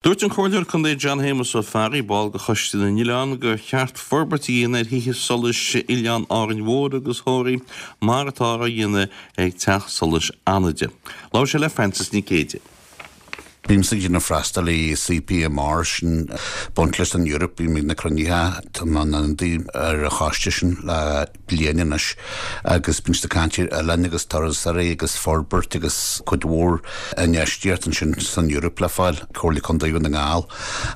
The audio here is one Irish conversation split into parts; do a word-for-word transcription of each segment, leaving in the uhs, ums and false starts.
Dúirt an Comhairleoir Contae John Shéamus Ó Fearraigh, ball de Choiste na nOileán, gur cheart forbairt a dhéanamh ar thithe solais Oileán Árainn Mhór agus Thoraí mar atá á dhéanamh ag Teach Solais Fhánaide. Labhair sé le Frances Nic Géadaigh. Bímse ag déanamh freastal i C P M R, sin baint leis an Europe. Bím ag na cruinnithe, tá mé ar an choiste sin le bliain anois agus bíonn siad ag caint ar oileáin agus turasóirí agus forbairt agus cuid mhór infheistíocht ansin san Europe le fáil Comhairle Contae na nGall,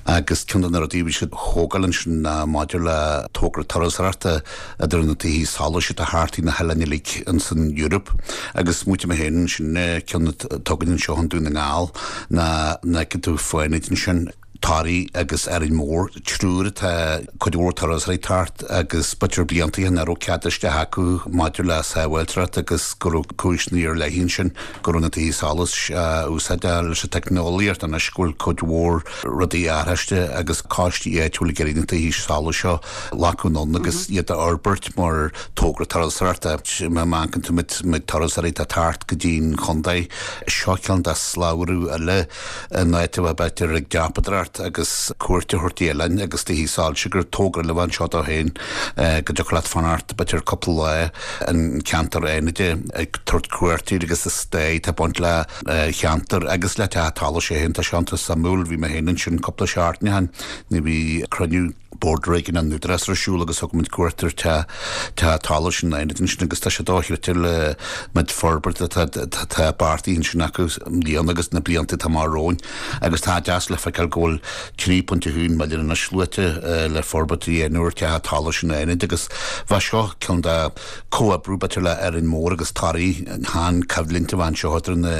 agus ceann de na rudaí bhí siad ag tógáil ansin maidir le togra turasóireachta idir na tithe solais atá thart na hoileáin uilig san Europe, agus smaointigh mé féin sin ceann tugann seo an Dún na nGall na na tú Fánaid ansin, Toraí agus Árainn Mhór, triúr atá cuid mhór turasóirí thart, agus b'fhéidir blianta nach raibh cead isteach acu maidir le sábháilteacht agus go raibh cúiseanna ar leith ansin go raibh na tithe solais úsáide leis an teicneolaíocht anois, go bhfuil cuid mhór rudaí athraithe agus coistí áitiúil ag iarraidh na tithe solais seo lacú ann agus iad a fhorbairt mar togra turasóireachta. Má amharcann tú méid turasóirí atá thart go dtí'n chontae seo, ceann de slabhra eile in áit a bheith b'fhéidir ag dreapadóireacht agus cuairt a thabhairt oileáin agus tithe solais, gur togra le bheith anseo dó féin go dtiocfadh leat fanacht b'fhéidir cúpla lá an ceantar Fhánaide ag tabhairt cuairtír agus is stair tá baint le cheantar agus le teach solais é féin. Tá sé iontach suimiúil. Bhí mé féin ansin cúpla seachtain, ní bhí cruinniú bord réigiúin an Údarás ar siúl agus thug muid cuairt ar te te solais an Fhánaid ansin, agus tá sé dochreidte le méid forbairt atá tá beartaithe ansin acu bliain agus na blianta atá amach romhainn, agus tá deas le feiceáil go bhfuil trí pointe haon milliún anois luaite le forbairt a dhéanamh ar teach solais an Fhánaid, agus bheadh seo ceann de comhoibriú b'fhéidir le Árainn Mhór agus Toraí han coimhlint a bhain seo idir na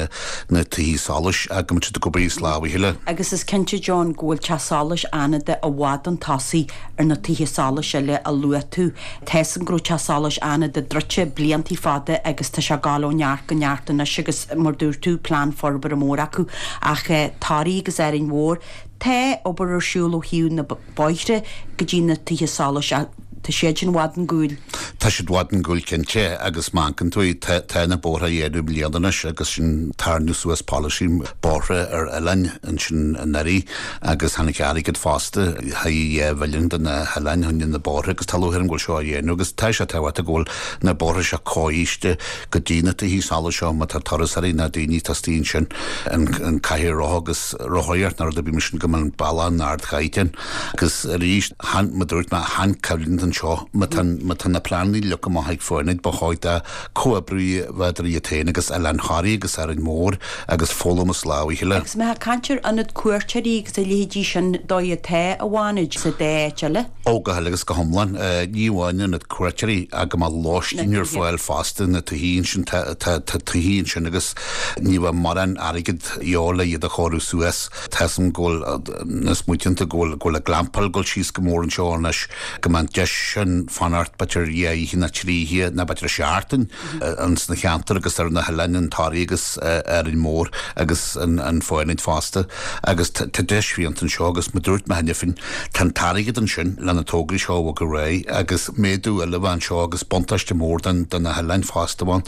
na tithe solais agus muid ag obair lámh le chéile. Agus is cinnte, John, go bhfuil teach solais Fhánada i bhfad chun tosaigh ar na tithe solais eile a luaigh tú. Tá an gró teach solais Fhánada druidte blianta fada agus tá sé ag gabháil ó neart go neart anois, agus mar dúirt tú, plean forbartha mór acu, ach eh, Toraí agus Árainn Mhór, tá obair ar siúl ó thaobh na bóithre go dtí na tithe solais, tá siad sin i bhfad chun cinn. Tá siad i bhfad chun cinn cinnte, agus mancan tú tá na bóithre dhéanamh bliana anois agus sin tarnú suas policy bóithre ar oileáin ansin anuraidh, agus tháinig airgead fosta ha bhilliún de na hoileáin chun na bóithre, agus tá lúcháir orm go bhfuil seo á dhéanamh, agus tá sé tábhachtach go bhfuil na bóithre seo cóiste go dtí na tithe solais seo má tá turasóirí na daoine teastaíonn sin an an cathaoir rotha agus rothaíocht na rudaí bí sin go mbeadh an bealach in ardchaighdeán. Agus arís han ma dúirt mé han coimhlint anseo, má tá má tá na pleananna leagtha amach ag Fánaid, ba chóir do comhoibriú bheadar iad féin agus Oileán Thoraí agus Árainn Mhór agus foghlaim as lámh a chéile. Agus má caint ar ionad cuairteoirí agus a leithéidí sin dóigh atá i bhFánaid sa dá áit eile. Ó, go huile agus go hiomlán, ní amháin ionad cuairteoirí ach go mbeadh lóistín ar fáil fosta na tithe ansin. Tá tithe ansin agus ní bheadh mórán airgead eo le iad a chóiriú suas. Tá san go bhfuil na smaointe go bhfuil go bhfuil a glampáil go síos go mór anseo anois, go mbeadh deis sin fanacht b'fhéidir dhá oíche nó trí oíche nó b'fhéidir seachtain an sna cheantar agus ar na hoileáin, an Toraí agus Árainn Mhór agus an an Fánaid fosta, agus tá deis fiúntach anseo. Agus ma dúirt mé cheana féin, tá an t-airgead ansin lena tograí seo a bhog ar aghaidh agus méadú eile bheith anseo agus buntáiste mór den den na hoileáin fosta bhain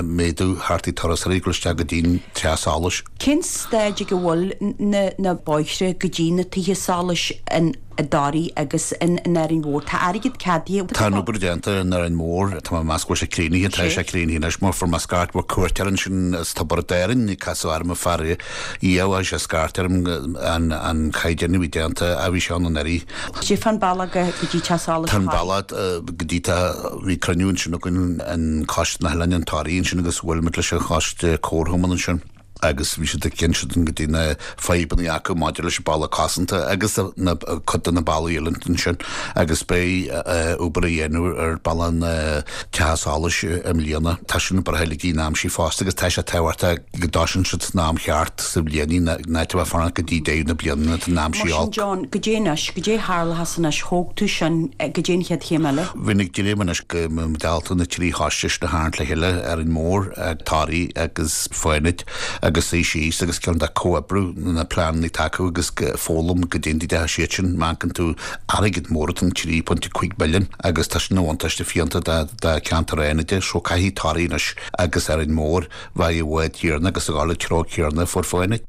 méadú thart turasóirí go isteach go dtí'n teach solais. Cén staid ag a bhfuil na na bóithre go dtí na tithe solais in i dToraí agus in in Árainn Mhór? Tá airgead ceadaithe. Tá an obair déanta in Árainn Mhór, tá mé meas go bhfuil sé críochnaithe, tá sé críochnaithe anois mar fuair mé scairt mar cuairt ar ansin is Tiobraid Árann casadh orm fear dhíobh sé scairt orm an an caighdeán a bhí déanta a bhí sé an anuraidh. Sé fan bealach go dtí teach solais. Tá an bealach go dtí tá bhí cruinniú ansin againn an Coiste na hOileáin an Toraí ansin agus bhfuil muid leis an choiste comharchumann ansin, agus bhí siad ag insint go dtí na fadhbanna acu maidir leis an bealach cosanta agus na cuid de na bealaí eile ansin, agus beidh obair a dhéanamh ar bealach na teach solais i mbliana. Tá sin breithe in am sí fosta, agus tá sé tábhachtach go dtosaíonn siad san am cheart sa bhliain ná a bheith fanacht go dtí deireadh na bliana an am sí. Sin John, go dtí anois, go dtí tharla anois, thóg tú sin, go dtí an chéad chéim eile. Bhí ag déanamh anois go mbeadh na trí choiste na harnt le chéile, Árainn Mhór, Toraí agus Fánaid, agus í síos agus ceann de comhoibriú na pleananna acu agus foghlaim go déantaí de siad sin. Mancan tú airgead mór an trí pointe cúig milliún, agus tá sin bhuntáiste fiúntach de ceantar Fhánaide, so caithfidh Toraí anois agus Árainn Mhór bheith i bhfad céanna agus a ghabháil treo céanna fuair Fánaid.